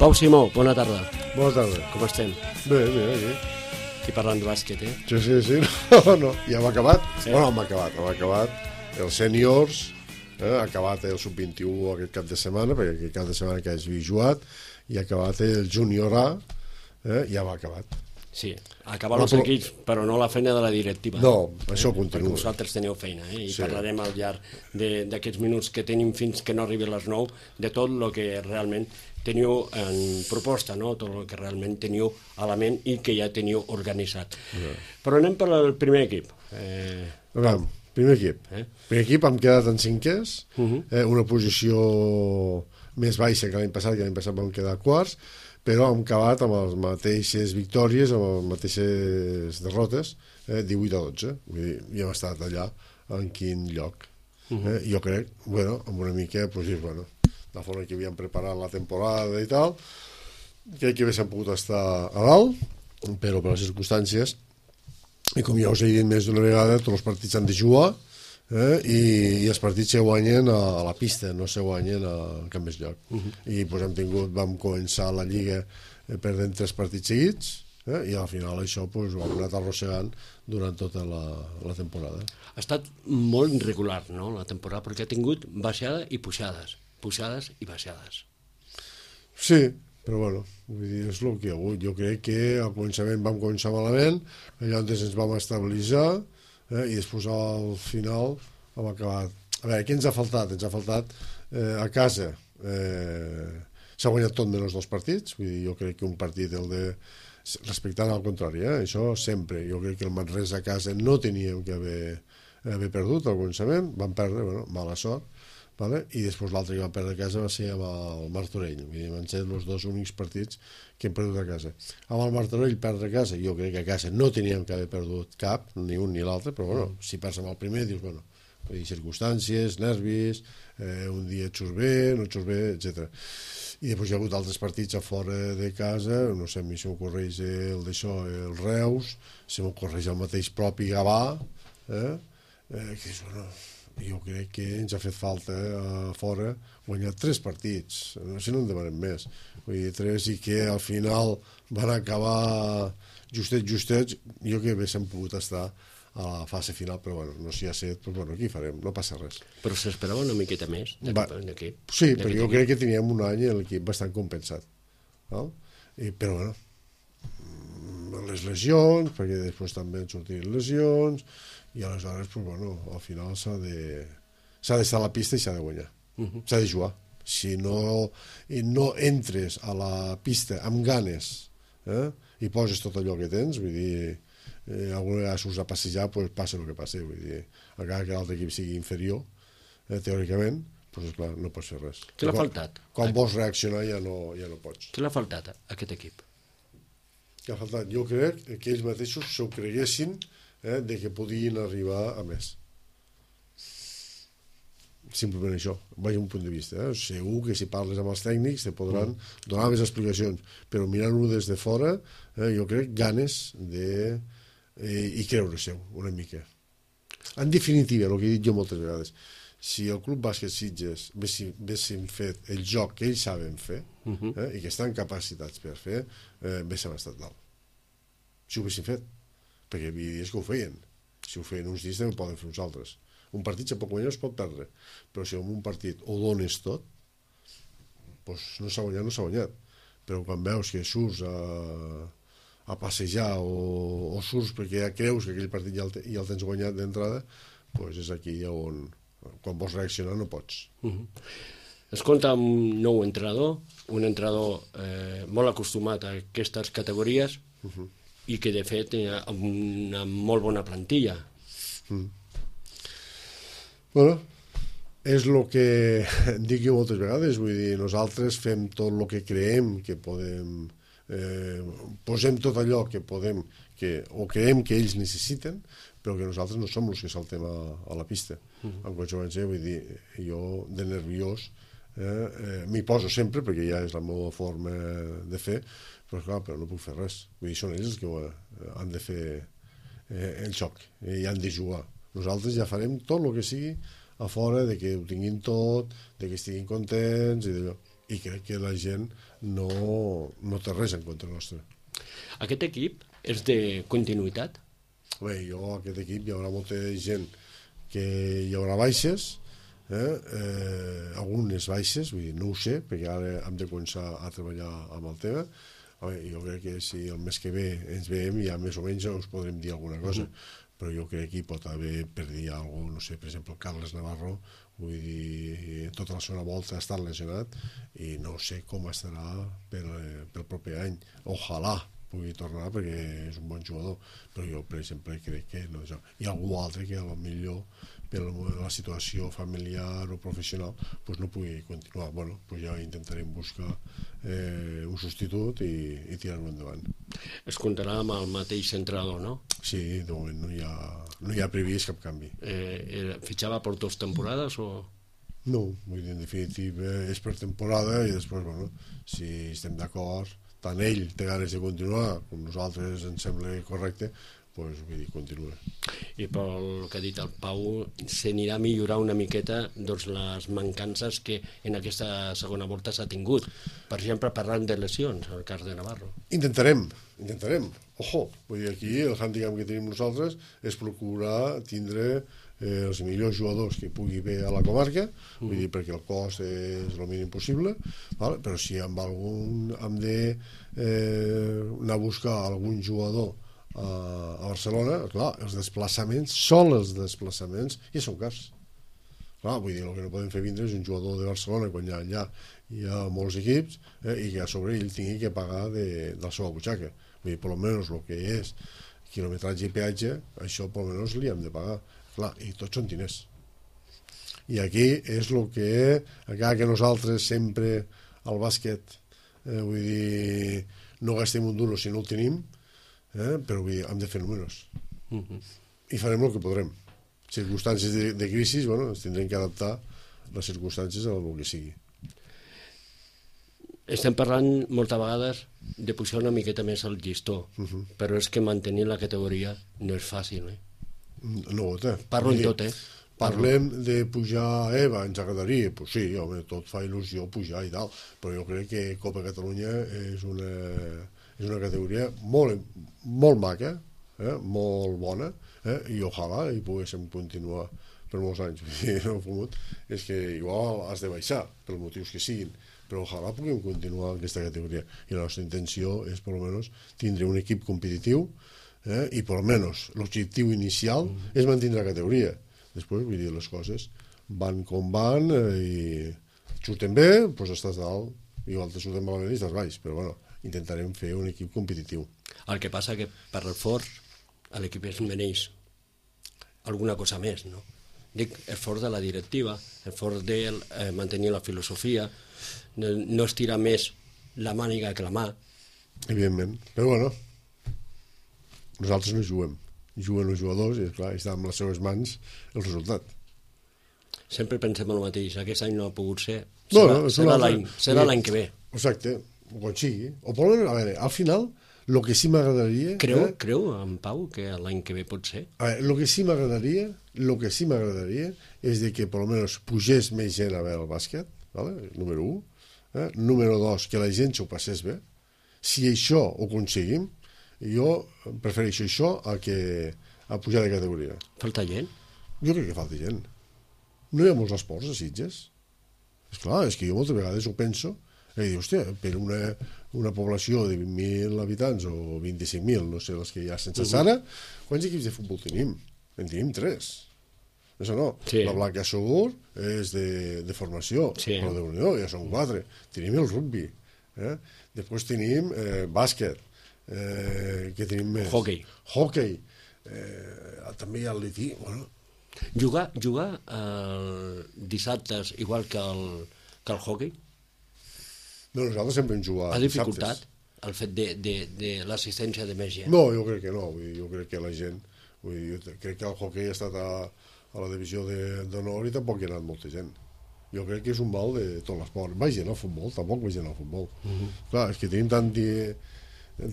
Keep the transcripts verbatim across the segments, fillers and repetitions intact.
Pau Simó, bona tarda. Bona tarda. Com estem? Bé, bé, bé. Aquí parlant de bàsquet, eh? Sí, sí, sí. No, no, ja hem acabat. Sí. Bueno, hem acabat, hem acabat. Els sèniors, eh, ha acabat el sub vint-i-u aquest cap de setmana, perquè aquest cap de setmana que hagi jugat, i ha acabat el júnior A, eh, ja va acabat. Sí, acabar No, els però- equips, però no la feina de la directiva. No, això Perquè continua. vosaltres teniu feina, eh? I Sí. parlarem al llarg de- d'aquests minuts que tenim fins que no arribi a les nou de tot el que realment teniu en proposta, no? Tot el que realment teniu a la ment i que ja teniu organitzat. Però anem per al primer equip. Eh, A veure, primer equip. Eh? Primer equip hem quedat en cinquers, Mhm. eh, una posició més baixa que l'any passat, que l'any passat vam quedar quarts, però hem acabat amb les mateixes victòries, amb les mateixes derrotes, eh, divuit a dotze. Vull dir, ja hem estat allà en quin lloc. Eh? Jo crec, bueno, amb una mica, pues, dir, bueno, la forma que havíem preparat la temporada i tal, crec que haguéssim pogut estar a dalt, però per les circumstàncies, i com ja us he dit més d'una vegada, tots els partits han de jugar, eh? I, i els partits se guanyen a, a la pista, no se guanyen a cap més lloc. Uh -huh. I pues, hem tingut, vam començar la Lliga eh, perdent tres partits seguits, eh? I al final això pues, ho hem anat arrossegant durant tota la, la temporada. ha estat molt irregular, no?, la temporada, perquè ha tingut baixada i pujades, pujades i baixades. Sí, però bueno, vull dir, és el que hi ha hagut. Jo crec que al començament vam començar malament, llavors ens vam estabilitzar, eh, i després al final hem acabat. A veure, què ens ha faltat? Ens ha faltat eh, a casa. Eh, S'ha guanyat tot menys dos partits, vull dir, jo crec que un partit, el de respectant al contrari, eh, això sempre. Jo crec que el Manresa a casa no teníem que haver, haver perdut al començament, vam perdre, bueno, mala sort, vale? I després l'altre que vam perdre a casa va ser amb el Martorell. Vull dir, van ser els dos únics partits que hem perdut a casa. Amb el Martorell perdre a casa, jo crec que a casa no teníem que haver perdut cap, ni un ni l'altre, però bueno, si perds amb el primer dius, bueno, vull dir, circumstàncies, nervis, eh, un dia et surt bé, no et surt bé, etcètera. I després hi ha hagut altres partits a fora de casa, no sé, a mi se m'ocorreix el d'això, el Reus, se m'ocorreix el mateix propi Gavà, eh? Eh, que és, bueno, jo crec que ens ha fet falta a fora guanyar tres partits, no sé, no en demanem més, vull dir, tres, i que al final van acabar justets, justets, jo crec que haguéssim pogut estar a la fase final, però bueno, no s'hi ha set, però bueno, aquí farem, no passa res. Però s'esperava una miqueta més Va, d'aquest. sí, perquè jo crec que teníem un any l'equip bastant compensat, no? I, però bueno, les lesions, perquè després també han sortit lesions, i aleshores, pues, bueno, al final s'ha de s'ha d'estar a la pista i s'ha de guanyar, uh -huh. s'ha de jugar. Si no, i no entres a la pista amb ganes, eh, i poses tot allò que tens, vull dir, eh, alguna vegada surts a passejar, pues, passa el que passi, vull dir, encara que l'altre equip sigui inferior, eh, teòricament, pues, esclar, no pots fer res. Què l'ha Quan- faltat? Quan vols reaccionar ja no, ja no pots. Què l'ha faltat a aquest equip? Què ha faltat? Jo crec que ells mateixos s'ho creguessin, eh, de que podien arribar a més. Simplement això, vaig un punt de vista, eh? Segur que si parles amb els tècnics te podran mm. donar més explicacions, però mirant-ho des de fora, eh, jo crec ganes de eh, i creure-se una mica. En definitiva, el que he dit jo moltes vegades, si el Club Bàsquet Sitges haguessin fet el joc que ells saben fer, uh -huh. eh, i que estan capacitats per fer, eh, haguéssim estat dalt. Si ho haguessin fet, perquè hi havia dies que ho feien. Si ho feien uns dies també poden fer uns altres. Un partit se pot guanyar, es pot perdre, però si en un partit ho dones tot, doncs no s'ha guanyat, no s'ha guanyat. Però quan veus que surts a, a passejar o, o surts perquè ja creus que aquell partit ja el, te, ja el tens guanyat d'entrada, doncs és aquí on, quan vols reaccionar, no pots. Uh -huh. Es compta amb un nou entrenador, un entrenador eh, molt acostumat a aquestes categories, uh -huh. i que de fet té una molt bona plantilla. Mm. Bueno, és el que dic jo moltes vegades, vull dir, nosaltres fem tot el que creem que podem, eh, posem tot allò que podem, que, o creem que ells necessiten, però que nosaltres no som els que saltem a, a la pista. Mm. En conseqüència, vull dir, jo de nerviós eh, eh, m'hi poso sempre, perquè ja és la meva forma de fer, però clar, però no puc fer res. Vull dir, són ells els que ho, eh, han de fer eh, el xoc, eh, i han de jugar. Nosaltres ja farem tot el que sigui a fora de que ho tinguin tot, de que estiguin contents i d'allò. i crec que la gent no, no té res en contra nostre. Aquest equip és de continuïtat? Bé, jo, aquest equip, hi haurà molta gent que hi haurà baixes, eh? Eh, algunes baixes, vull dir, no ho sé, perquè ara hem de començar a treballar amb el tema. Veure, jo crec que si el mes que ve ens veiem ja més o menys us podrem dir alguna cosa, uh-huh. però jo crec que hi pot haver per dir alguna cosa, no sé, per exemple, Carles Navarro, vull dir, tota la segona volta ha estat lesionat i no sé com estarà pel, pel proper any. Ojalà pugui tornar perquè és un bon jugador, però jo, per exemple, crec que no, hi ha algú altre que a lo millor per la situació familiar o professional pues no pugui continuar. Bueno, pues ja intentarem buscar eh, un substitut i, i tirar-ho endavant. Es comptarà amb el mateix entrenador, no? Sí, de moment no hi ha, no hi ha previst cap canvi. Eh, fitxava per dues temporades o...? No, vull dir, en definitiva és per temporada i després, bueno, si estem d'acord, tant ell té ganes de continuar com nosaltres ens sembla correcte, pues, vull dir, continua. I pel que ha dit el Pau, s'anirà a millorar una miqueta doncs, les mancances que en aquesta segona volta s'ha tingut. Per exemple, parlant de lesions, en el cas de Navarro. Intentarem, intentarem. Ojo, vull dir, aquí el handicap que tenim nosaltres és procurar tindre eh, els millors jugadors que pugui haver a la comarca, mm. vull dir, perquè el cost és el mínim possible, vale? Però si amb algun hem de eh, anar a buscar algun jugador a, a Barcelona, clar, els desplaçaments, són els desplaçaments i són cars. Clar, vull dir, el que no podem fer vindre és un jugador de Barcelona quan hi ha, allà hi ha molts equips eh, i que a sobre ell tingui que pagar de, de la seva butxaca. Vull dir, per almenys el que és quilometratge i peatge, això per almenys li hem de pagar. Clar, i tots són diners. I aquí és el que, encara que nosaltres sempre al bàsquet, eh, vull dir, no gastem un duro si no el tenim, eh, però vull dir, hem de fer números. Uh-huh. I farem el que podrem. Circumstàncies de, de crisi, bueno, ens tindrem que adaptar les circumstàncies a el que sigui. Estem parlant moltes vegades de pujar una miqueta més el llistó, uh-huh. però és que mantenir la categoria no és fàcil, eh? No, eh? Parlo en tot, eh? Parlem de pujar a EVA, ens agradaria, pues sí, home, tot fa il·lusió pujar i tal, però jo crec que Copa Catalunya és una, és una categoria molt, molt maca, eh? Molt bona, eh? I ojalà hi poguéssim continuar per molts anys. El fumut és que igual has de baixar, pels motius que siguin, però ojalà puguem continuar en aquesta categoria. I la nostra intenció és, per almenys, tindre un equip competitiu, eh? I, per almenys, l'objectiu inicial mm. és mantenir la categoria. Després, vull dir, les coses van com van eh, i surten bé, doncs estàs dalt, igual te surten malament i estàs baix, però bueno, intentarem fer un equip competitiu. El que passa que per l'esforç l'equip es mereix alguna cosa més, no? Dic, esforç de la directiva, esforç de eh, mantenir la filosofia, no, no estirar més la màniga que la mà. Evidentment, però bueno, nosaltres no juguem. Juguen els jugadors i, esclar, està en les seves mans el resultat. Sempre pensem el mateix, aquest any no ha pogut ser, no, serà, no, serà l'any serà l'any que ve. Exacte, quan sigui. O per almenys, a veure, al final, el que sí m'agradaria... Creu, eh, creu, en Pau, que l'any que ve pot ser? A veure, el que sí m'agradaria, el que sí m'agradaria és de que, per almenys, pugés més gent a veure el bàsquet, vale? Número un. Eh? Número dos, que la gent s'ho passés bé. Si això ho aconseguim, jo prefereixo això a que a pujar de categoria. Falta gent? Jo crec que falta gent. No hi ha molts esports a Sitges. És clar, és que jo moltes vegades ho penso i dic, hòstia, per una, una població de vint mil habitants o vint-i-cinc mil, no sé, les que hi ha sense Sara, quants equips de futbol tenim? En tenim tres. Això no. Sí. La Blanca Segur és de, de formació, sí. Però de Unió ja són quatre. Tenim el rugby. Eh? Després tenim eh, bàsquet. Eh, què tenim més? Hockey. Hockey. Eh, també hi ha el lití. Bueno. Jugar, jugar eh, dissabtes igual que el, que el hockey? No, nosaltres sempre hem jugat ha dificultat dissabtes. El fet de, de, de l'assistència de més gent? No, jo crec que no. Vull dir, jo crec que la gent... Vull dir, jo crec que el hockey ha estat a, a la divisió d'honor i tampoc hi ha anat molta gent. Jo crec que és un mal de tot l'esport. Va gent al futbol, tampoc va gent al futbol. Uh -huh. Clar, és que tenim tant... De,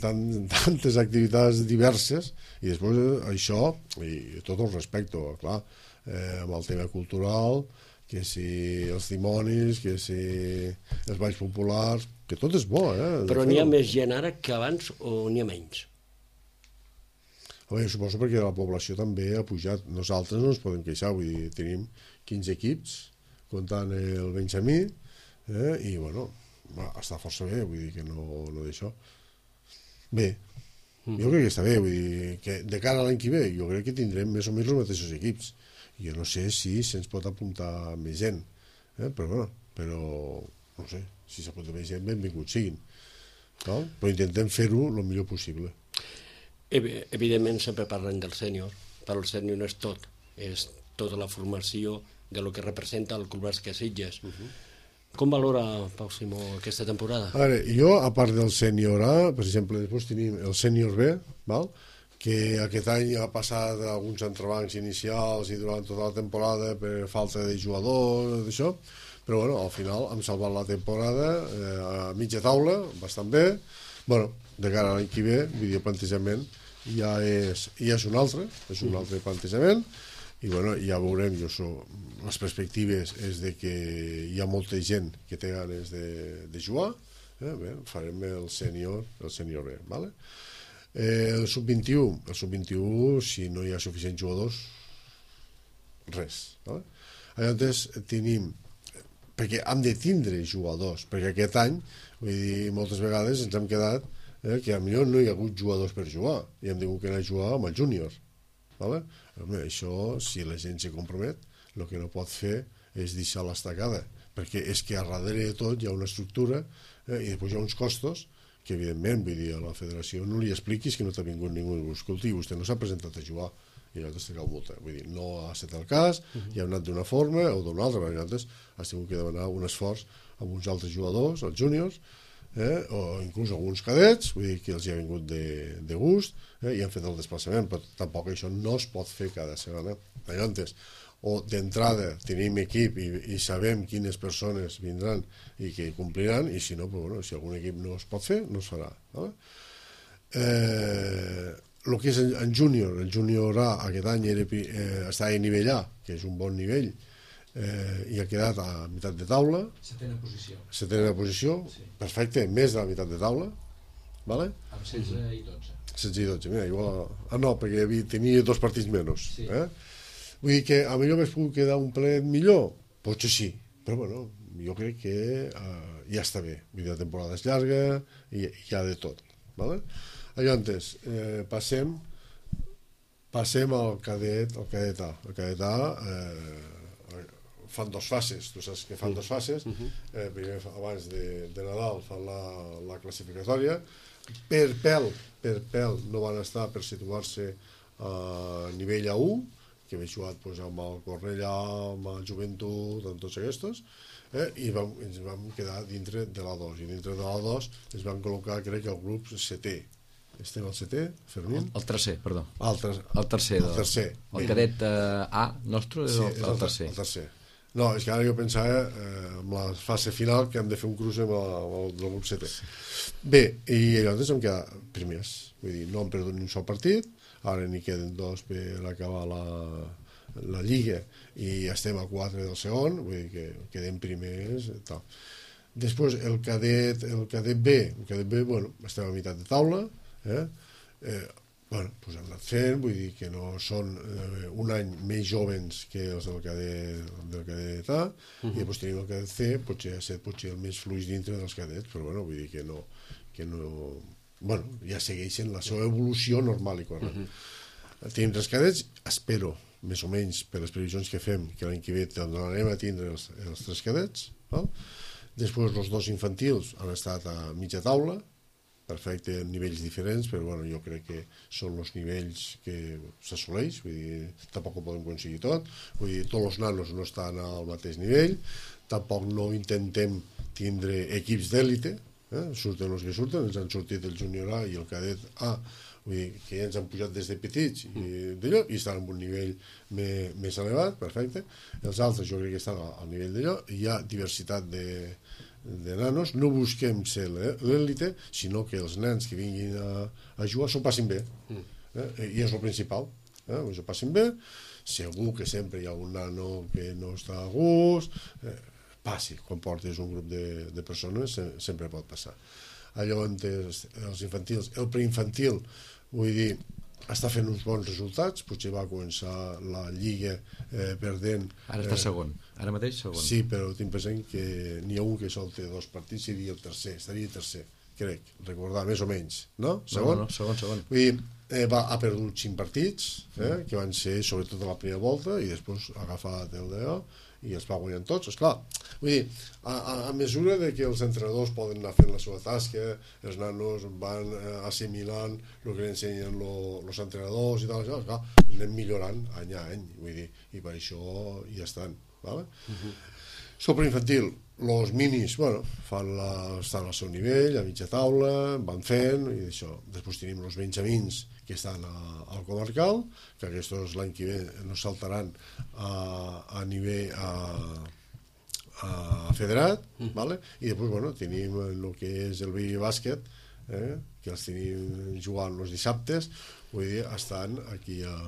Tant, tantes activitats diverses i després això, i tot el respecte, clar, eh, amb el tema cultural que si els dimonis, que si els balls populars, que tot és bo, eh? Però n'hi ha més gent ara que abans o n'hi ha menys? Home, jo suposo perquè la població també ha pujat. Nosaltres no ens podem queixar, vull dir, tenim quinze equips, comptant el Benjamí, eh? I, bueno, està força bé, vull dir que no, no d'això. Bé, jo crec que està bé, vull dir que de cara a l'any que ve jo crec que tindrem més o menys els mateixos equips. Jo no sé si se'ns pot apuntar més gent, eh? però bueno, però no sé, si s'apunta més gent, benvinguts siguin. No? Però intentem fer-ho el millor possible. Evidentment sempre parlen del sènior, però el sènior no és tot, és tota la formació de lo que representa el Club Bàsquet Sitges. Uh -huh. Com valora, Pau Simó, aquesta temporada? A veure, jo, a part del sènior A, per exemple, després tenim el sènior B, val? Que aquest any ha passat alguns entrebancs inicials i durant tota la temporada per falta de jugadors, d'això, però bueno, al final hem salvat la temporada eh, a mitja taula, bastant bé. Bueno, de cara a l'any que ve, vull dir, el plantejament ja és, ja és un altre, és un altre plantejament, i bueno, ja veurem, jo so, les perspectives és de que hi ha molta gent que té ganes de, de jugar, eh? Bé, farem el sènior, el sènior B, vale? Eh, el sub vint-i-u, el sub vint-i-u, si no hi ha suficients jugadors, res. Vale? Llavors tenim, perquè hem de tindre jugadors, perquè aquest any, vull dir, moltes vegades ens hem quedat eh, que potser no hi ha hagut jugadors per jugar i hem tingut que anar a jugar amb el júnior. Vale? Home, això, si la gent se compromet, el que no pot fer és deixar l'estacada, perquè és que a darrere de tot hi ha una estructura eh, i després hi ha uns costos que evidentment, vull dir, a la federació no li expliquis que no t'ha vingut ningú i diu, escolti, vostè no s'ha presentat a jugar i llavors te cau multa, vull dir, no ha estat el cas, uh -huh. i ha anat d'una forma o d'una altra, perquè llavors has tingut que demanar un esforç amb uns altres jugadors, els júniors, eh, o inclús alguns cadets, vull dir que els hi ha vingut de, de gust, eh, i han fet el desplaçament, però tampoc això no es pot fer cada setmana. Llavors, o d'entrada tenim equip i, i sabem quines persones vindran i que compliran, i si no, pues, bueno, si algun equip no es pot fer, no es farà. No? Eh, el que és en, en júnior, el júnior A aquest any era, eh, està a nivell A, que és un bon nivell, eh, i ha quedat a meitat de taula. Setena posició. Setena posició, sí. Perfecte, més de la meitat de taula. Vale? Amb setze i dotze. setze i dotze, mira, igual... Ah, no, perquè havia, tenia dos partits menys. Sí. Eh? Vull dir que a millor m'has pogut quedar un plet millor? Potser sí, però bueno, jo crec que uh, ja està bé. Vull dir, la temporada és llarga i hi ha de tot. Vale? Llavors, eh, passem passem al cadet, al cadet A. El cadet A eh, fan dos fases, tu saps que fan dos fases. Eh, primer, abans de, de Nadal, fan la, la classificatòria. Per pèl, per pèl no van estar per situar-se a nivell A u, que havia jugat pues, amb el Cornellà, amb el Joventut, amb tots aquests, eh, i vam, ens vam quedar dintre de l'A dos, i dintre de l'A dos ens van col·locar, crec, el grup setè. Estem al setè, Fermín? El, el tercer, perdó. Ah, el, ter el tercer. El tercer. El cadet eh, A nostre és, sí, el, és el, el tercer. El tercer. No, és que ara jo pensava eh, amb la fase final que hem de fer un cruce amb el, amb el del grup setè. Bé, i llavors hem quedat primers, vull dir, no hem perdut ni un sol partit, ara n'hi queden dos per acabar la, la Lliga i estem a quatre del segon, vull dir que quedem primers tal. Després el cadet, el cadet B, el cadet B, bueno, estem a meitat de taula, eh? Eh, bueno, pues hem anat fent, vull dir que no són eh, un any més jovens que els del cadet, del cadet A, uh -huh. i després tenim el cadet C, potser ha estat potser el més fluix dintre dels cadets, però bueno, vull dir que no, que no bueno, ja segueixen la seva evolució normal i correcta. Uh -huh. Tenim tres cadets, espero, més o menys, per les previsions que fem, que l'any que ve tornarem a tindre els, els tres cadets, val? Després els dos infantils han estat a mitja taula, perfecte, en nivells diferents, però bueno, jo crec que són els nivells que s'assoleix, vull dir, tampoc ho podem aconseguir tot, vull dir, tots els nanos no estan al mateix nivell, tampoc no intentem tindre equips d'èlite, eh? Surten els que surten, ens han sortit el júnior A i el cadet A, vull dir, que ja ens han pujat des de petits i d'allò, i estan en un nivell més, més elevat, perfecte, els altres jo crec que estan al nivell d'allò, hi ha diversitat de de nanos, no busquem ser l'èlite, sinó que els nens que vinguin a, a jugar s'ho passin bé, eh? I és el principal, eh? S'ho passin bé, segur que sempre hi ha un nano que no està a gust, eh, passi, quan portes un grup de, de persones se, sempre pot passar. Allò on els, els infantils, el preinfantil, vull dir, està fent uns bons resultats, potser va començar la lliga eh, perdent... Ara està eh, segon, ara mateix segon. Sí, però tinc present que n'hi ha un que sol té dos partits, seria el tercer, estaria tercer, crec, recordar, més o menys, no? Segon? No, no, segon, segon. Vull dir, eh, va, ha perdut cinc partits, eh, que van ser sobretot a la primera volta, i després ha agafat el d'allò, i els va guanyant tots, esclar. Vull dir, a, a, a mesura de que els entrenadors poden anar fent la seva tasca, els nanos van eh, assimilant el que ensenyen els entrenadors i tal, esclar, anem millorant any a any, vull dir, i per això hi estan, ¿vale? Uh-huh. Sobre infantil, els minis, bueno, fan la, estan al seu nivell, a mitja taula, van fent, i això. Després tenim els benjamins, que estan a, al comarcal, que aquests l'any que ve no saltaran a, a nivell a, a federat, mm. ¿vale? I després, bueno, tenim el que és el baby bàsquet, eh, que els tenim jugant els dissabtes, vull dir, estan aquí a,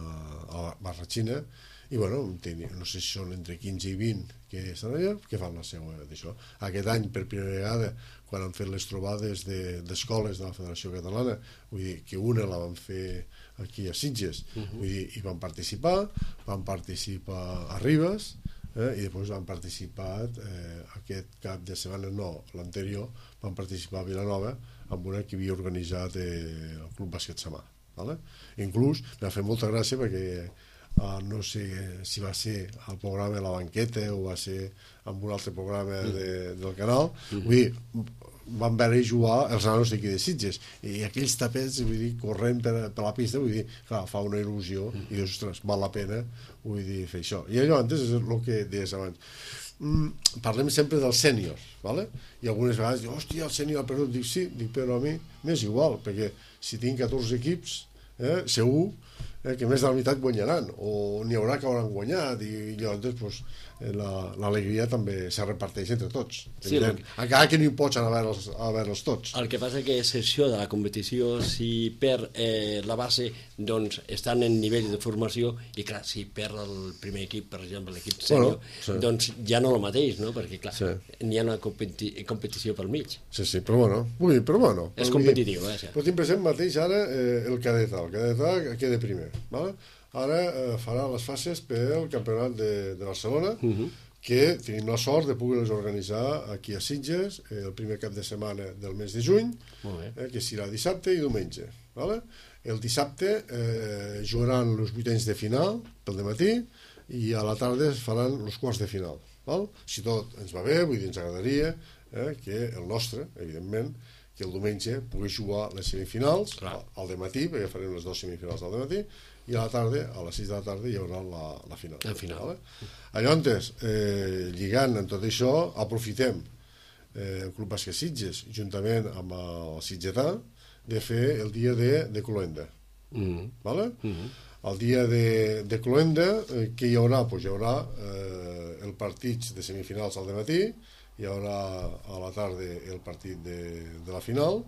a Barratxina, i bueno, tenim, no sé si són entre quinze i vint que estan allà, que fan la seva d'això. Aquest any, per primera vegada, quan han fet les trobades d'escoles de, de la Federació Catalana, vull dir que una la van fer aquí a Sitges, uh -huh. vull dir, i van participar, van participar a Ribes, eh, i després han participat eh, aquest cap de setmana, no, l'anterior, van participar a Vilanova amb una que havia organitzat eh, el Club Bàsquet Samà, ¿vale? Inclús m'ha fet molta gràcia perquè Uh, no sé si va ser el programa de la banqueta o va ser amb un altre programa de, del canal, mm-hmm. vull dir, van veure jugar els nanos d'aquí de Sitges i aquells tapets, vull dir, corrent per, per la pista, vull dir, clar, fa una il·lusió mm. i dius, ostres, val la pena, vull dir, fer això. I allò antes és el que deies abans. Mm, parlem sempre dels sèniors, ¿vale? I algunes vegades dius, hòstia, el sènior ha perdut. Dic, sí, dic, però a mi m'és igual, perquè si tinc catorze equips, eh, segur eh, que més de la meitat guanyaran, o n'hi haurà que hauran guanyat, i llavors pues, eh, l'alegria també se reparteix entre tots. Sí, que... encara que no hi pots anar a veure'ls, a veure'ls tots. El que passa que és això de la competició, si perd eh, la base, doncs estan en nivell de formació, i clar, si perd el primer equip, per exemple, l'equip sènior, bueno, sí. doncs ja no el mateix, no? Perquè clar, sí. n'hi ha una competi competició pel mig. Sí, sí, però bueno, vull dir, però bueno. És competitiu, eh? Sí. Però tinc present mateix ara eh, el cadet A, el cadet A queda primer, ¿vale? Ara eh, farà les fases pel campionat de, de Barcelona, uh -huh. que tenim la sort de poder-les organitzar aquí a Sitges eh, el primer cap de setmana del mes de juny, eh, que serà dissabte i diumenge, ¿vale? El dissabte eh, jugaran els vuitens de final pel dematí i a la tarda es faran els quarts de final, ¿val? Si tot ens va bé, vull dir, ens agradaria eh, que el nostre, evidentment, que el diumenge pugui jugar les semifinals al, al dematí, perquè farem les dues semifinals al dematí, i a la tarda, a les sis de la tarda, hi haurà la, la final. La final. Vale? Llavors, eh, lligant amb tot això, aprofitem eh, el Club Bàsquet Sitges, juntament amb el Sitgetà, de fer el dia de, de Cloenda. Mm. Vale? Mm-hmm. El dia de, de Cloenda, eh, què hi haurà? Pues hi haurà eh, el partit de semifinals al dematí, hi haurà a la tarda el partit de, de la final,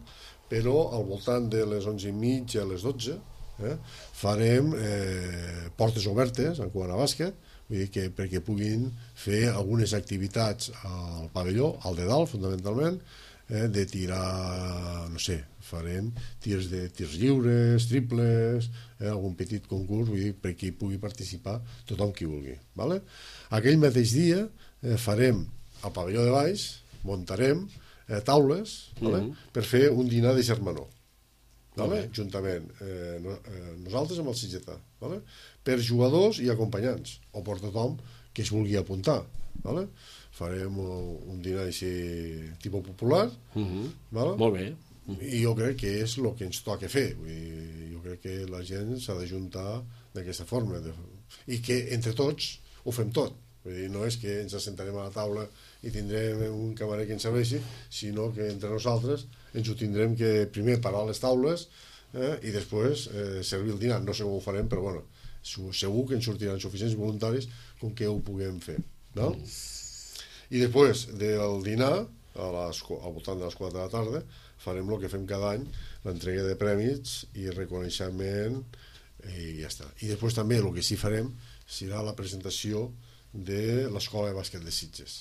però al voltant de les onze i mitja a les dotze eh, farem eh, portes obertes en quant a bàsquet, vull dir que perquè puguin fer algunes activitats al pavelló, al de dalt fundamentalment, eh, de tirar, no sé, farem tirs de tirs lliures, triples, eh, algun petit concurs, vull dir, perquè hi pugui participar tothom qui vulgui, ¿vale? Aquell mateix dia eh, farem al pavelló de baix, muntarem eh, taules, ¿vale? Mm-hmm. per fer un dinar de germanor, ¿vale? Okay. Juntament eh, no, eh, nosaltres amb el Sitgetà, ¿vale? Per jugadors i acompanyants, o per tothom que es vulgui apuntar, ¿vale? Farem un dinar així tipus popular, mm-hmm. ¿vale? Molt bé. I jo crec que és el que ens toca fer. Vull dir, jo crec que la gent s'ha d'ajuntar d'aquesta forma, de... i que entre tots ho fem tot. Vull dir, no és que ens assentarem a la taula i tindrem un camarer que ens serveixi, sinó que entre nosaltres ens ho tindrem que primer parar les taules eh, i després eh, servir el dinar. No sé com ho farem, però bueno, segur que ens sortiran suficients voluntaris com que ho puguem fer, no? Mm. I després del dinar, a les, al voltant de les quatre de la tarda, farem el que fem cada any, l'entrega de prèmits i reconeixement, i ja està. I després també el que sí farem serà la presentació de l'Escola de Bàsquet de Sitges.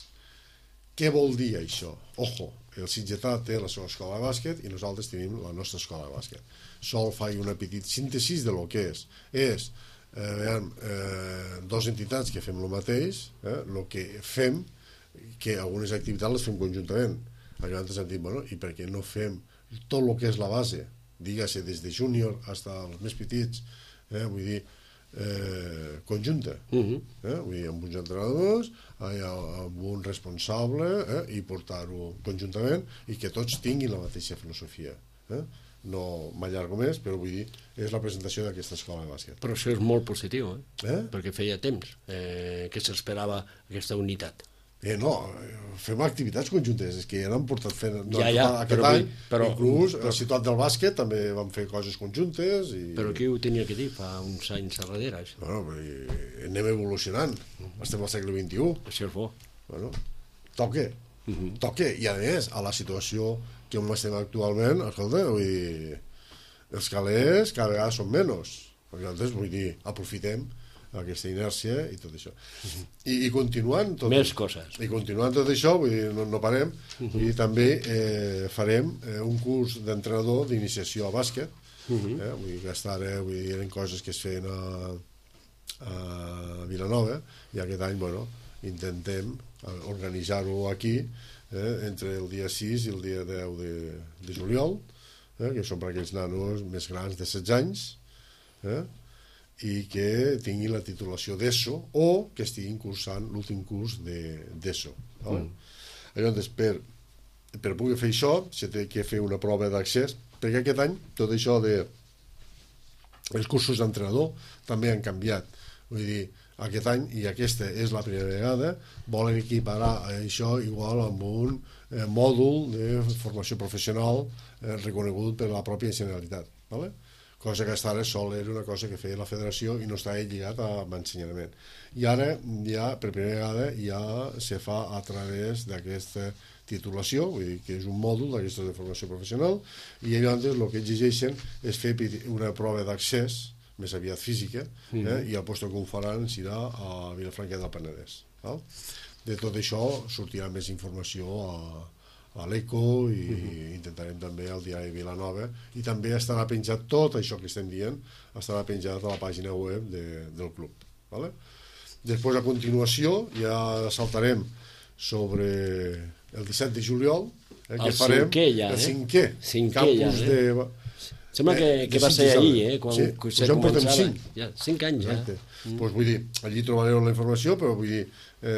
Què vol dir això? Ojo, el sitgetà té la seva escola de bàsquet i nosaltres tenim la nostra escola de bàsquet. Sol fa una petita síntesi de lo que és. És eh, veiem, eh, dos entitats que fem el mateix, eh, el que fem, que algunes activitats les fem conjuntament. Llavors hem dit, bueno, i per què no fem tot el que és la base, digues-se des de júnior fins als més petits, eh, vull dir, eh, conjunta, Uh-huh. eh? Vull dir, amb uns entrenadors, eh, amb un responsable, eh, i portar-ho conjuntament i que tots tinguin la mateixa filosofia. Eh? No m'allargo més, però vull dir, és la presentació d'aquesta escola de bàsquet. Però això és molt positiu, eh? Eh? Perquè feia temps eh, que s'esperava aquesta unitat. Eh, no, fem activitats conjuntes, és que ja n'han portat fent no, Ja, ja, aquest però any, vull- però- inclús però- a la ciutat del bàsquet també vam fer coses conjuntes i... Però qui ho tenia que dir fa uns anys a darrere, això? Bueno, però anem evolucionant, estem al segle vint-i-u, Això és bo. bueno, toque, Mhm. toque, i a més, a la situació que on estem actualment, escolta, vull dir, els calés cada vegada són menys, nosaltres, vull dir, aprofitem aquesta inèrcia i tot això. I, i continuant tot, Més coses. i continuant tot això, vull dir, no, no parem, vull dir, també eh, farem eh, un curs d'entrenador d'iniciació a bàsquet, Mhm. eh, vull dir que hasta ara vull dir, eren coses que es feien a, a Vilanova, i aquest any, bueno, intentem eh, organitzar-ho aquí, eh, entre el dia sis i el dia deu de, de juliol, eh, que són per aquells nanos més grans de setze anys, eh, i que tinguin la titulació d'ESO o que estiguin cursant l'últim curs d'ESO. Vale? Mm. Llavors, per, per poder fer això, s'ha de que fer una prova d'accés, perquè aquest any tot això de els cursos d'entrenador també han canviat. Vull dir, aquest any, i aquesta és la primera vegada, volen equiparar això igual amb un eh, mòdul de formació professional eh, reconegut per la pròpia Generalitat. Vale? Cosa que fins ara sol era una cosa que feia la federació i no estava lligat a ensenyament. I ara, ja, per primera vegada, ja se fa a través d'aquesta titulació, vull dir que és un mòdul d'aquesta de formació professional, i llavors el que exigeixen és fer una prova d'accés, més aviat física, eh, mm. i el lloc que ho faran serà a Vilafranca del Penedès. Val? De tot això sortirà més informació a a l'Eco i uh-huh. intentarem també al diari Vilanova, i també estarà penjat tot això que estem dient, estarà penjat a la pàgina web de, del club. Vale? Després, a continuació, ja saltarem sobre el disset de juliol, eh, que El farem cinquè ja, el eh? cinquè, Cinquè campus ja, eh? de... Sembla que, Eh, que de va ser Sitges, ahir, ara. eh? Quan Sí, se pues ja en portem començava. cinc. Ja, cinc anys, Exacte. ja. Mm. Pues vull dir, allí trobareu la informació, però vull dir,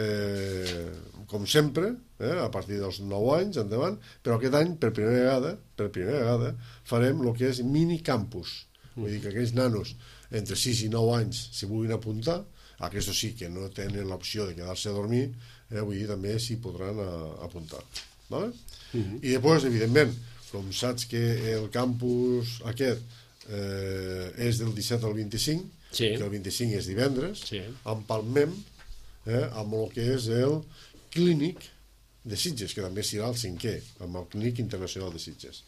eh, com sempre, eh, a partir dels nou anys endavant, però aquest any, per primera vegada, per primera vegada, farem el que és minicampus. Vull dir que aquells nanos entre sis i nou anys s'hi vulguin apuntar, aquests sí que no tenen l'opció de quedar-se a dormir, eh, vull dir, també s'hi podran a, apuntar. Vale? Mm-hmm. I després, evidentment, com saps que el campus aquest eh, és del disset al vint-i-cinc, Sí. que el vint-i-cinc és divendres, Sí. empalmem eh, amb el que és el clínic de Sitges, que també serà el cinquè, amb el clínic internacional de Sitges.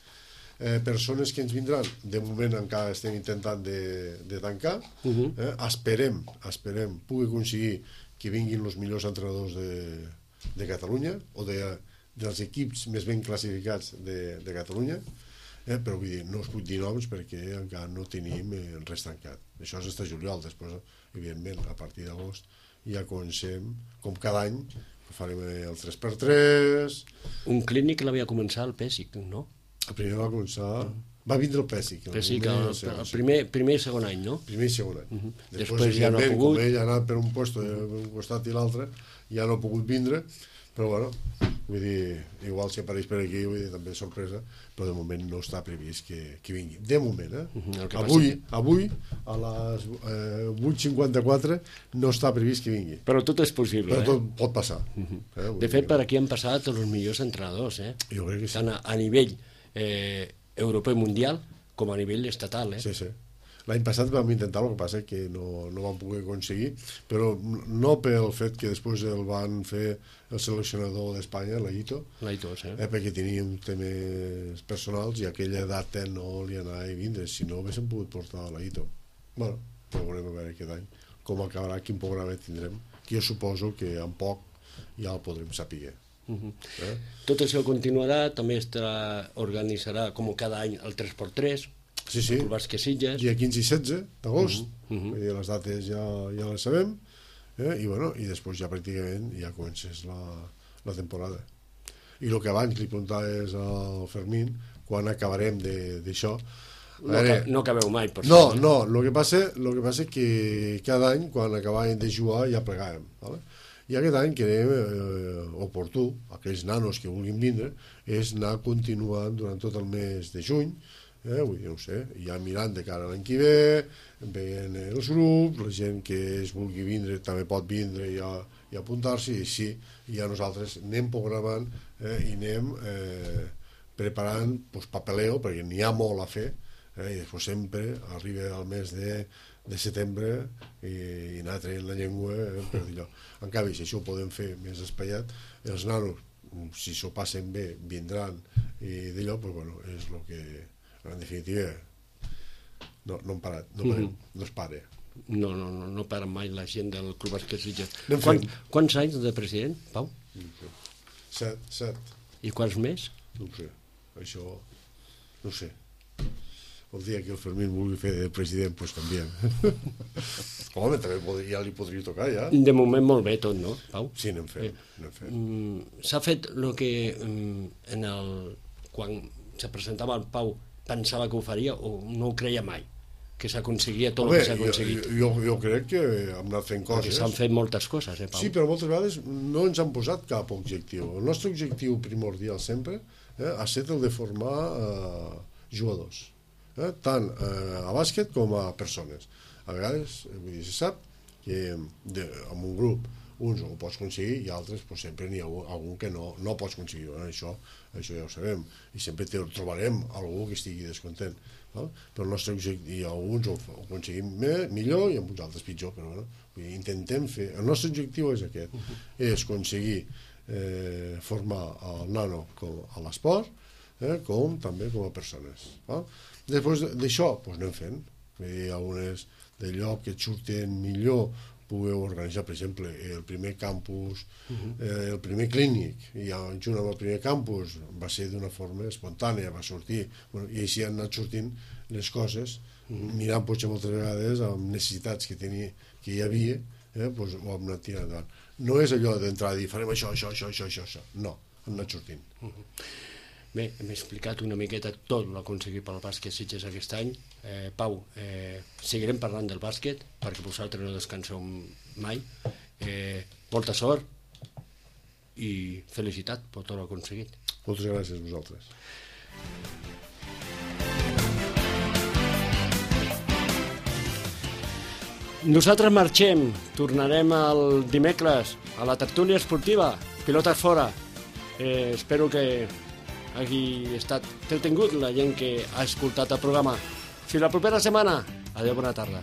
Eh, persones que ens vindran, de moment encara estem intentant de, de tancar, Uh-huh. eh, esperem, esperem pugui aconseguir que vinguin els millors entrenadors de, de Catalunya, o de, dels equips més ben classificats de, de Catalunya, eh, però vull dir, no us puc dir noms perquè encara no tenim eh, res tancat. Això és fins juliol, després, evidentment, a partir d'agost ja comencem, com cada any, farem el tres per tres. Un clínic l'havia començat al Pèssic, no? El primer va començar... Va vindre el Pèssic. El Pèssic, primer, el, segon, el primer, primer i segon any, no? primer i segon any. Uh-huh. Després, Després ja no ha evidentment, pogut. com ell ha anat per un puesto, per un costat i l'altre, ja no ha pogut vindre, però bueno, vull dir, igual si apareix per aquí, vull dir, també és sorpresa, però de moment no està previst que, que vingui. De moment, eh? Uh-huh. El que Avui, passa... avui, a les eh, vuit cinquanta-quatre, no està previst que vingui. Però tot és possible, Però eh? tot pot passar. Uh-huh. eh? Vull De fet, dir per aquí han passat els millors entrenadors, eh? que- Jo crec que sí. Tant a, a nivell eh, europeu i mundial com a nivell estatal, eh? Sí, sí. L'any passat vam intentar, el que passa que no, no vam poder aconseguir, però no pel fet que després el van fer el seleccionador d'Espanya, l'Aito, L'Aitos, eh? eh, perquè teníem temes personals i aquella data no li anava a vindre, si no haguéssim pogut portar l'Aito. Bueno, però veurem a veure aquest any com acabarà, quin programa tindrem, que jo suposo que en poc ja el podrem saber. Uh-huh. eh? Tot això continuarà, també estarà, organitzarà com cada any el tres per tres, sí, sí. el bàsquet Sitges. Dia quinze i setze d'agost, uh-huh. uh-huh. Vull dir, les dates ja, ja les sabem, eh? I, bueno, i després ja pràcticament ja comences la, la temporada. I el que abans li preguntaves al Fermín, quan acabarem d'això. No, veure, no acabeu mai, per no, ser. No, el que passa el que passa és que cada any, quan acabàvem de jugar, ja plegàvem. ¿vale? I aquest any creiem eh, oportú, aquells nanos que vulguin vindre, és anar continuant durant tot el mes de juny, eh, vull dir, no sé, ja mirant de cara a l'any que ve, veient els grups, la gent que es vulgui vindre també pot vindre i, a, i apuntar-s'hi, i així ja nosaltres anem programant eh, i anem eh, preparant pues, papeleo, perquè n'hi ha molt a fer, eh, i després sempre arriba al mes de, de setembre i, i anar traient la llengua eh, per dir-ho. En canvi, si això ho podem fer més espaiat, els nanos, si s'ho passen bé, vindran i d'allò, pues, bueno, és el que en definitiva no, no hem parat, no, parem, mm-hmm. no es pare. No, no, no, no para mai la gent del Club Bàsquet Sitges. Quan, quants anys de president, Pau? No sé. Set, set. I quants més? No ho sé, això no ho sé. El dia que el Fermín vulgui fer de president, doncs pues, canviem. Home, també podria, ja li podria tocar, ja. De moment molt bé tot, no, Pau? Sí, anem fent. Eh, anem fent. Mm, s'ha fet el que mm, en el, quan se presentava el Pau pensava que ho faria o no ho creia mai? Que s'aconseguia tot Home, el que s'ha aconseguit? Jo, jo, jo crec que hem anat fent coses. Perquè s'han fet moltes coses, eh, Pau? Sí, però moltes vegades no ens han posat cap objectiu. El nostre objectiu primordial sempre eh, ha estat el de formar eh, jugadors. Eh, tant eh, a bàsquet com a persones. A vegades, vull dir, se sap que de, en un grup uns ho pots aconseguir i altres pues, sempre n'hi ha algun que no, no pots aconseguir. Eh? Això, això ja ho sabem. I sempre te, trobarem algú que estigui descontent. No? Però el nostre objectiu, alguns ho, ho aconseguim més, millor i amb uns altres pitjor. Però bueno, vull dir, intentem fer... El nostre objectiu és aquest. Uh-huh. És aconseguir eh, formar el nano com a l'esport eh, com també com a persones. No? Després d'això, doncs anem fent. Vull dir, algunes de lloc que et surten millor pugueu organitzar, per exemple, el primer campus, uh-huh. eh, el primer clínic, i junt amb el primer campus va ser d'una forma espontània, va sortir, bueno, i així han anat sortint les coses, uh-huh. mirant potser moltes vegades amb necessitats que, tenia, que hi havia, eh, doncs ho hem anat tirant endavant. No és allò d'entrar i dir, farem això, això, això, això, això, això. No, han anat sortint. Uh-huh. Bé, hem explicat una miqueta tot l'aconseguit pel bàsquet Sitges aquest any. Eh, Pau, eh, seguirem parlant del bàsquet perquè vosaltres no descanseu mai. Eh, molta sort i felicitat per tot l'aconseguit. Moltes gràcies a vosaltres. Nosaltres marxem, tornarem el dimecres a la tertúlia esportiva, pilotes fora. Eh, espero que hagi estat entretingut la gent que ha escoltat el programa. Fins la propera setmana. Adéu, bona tarda.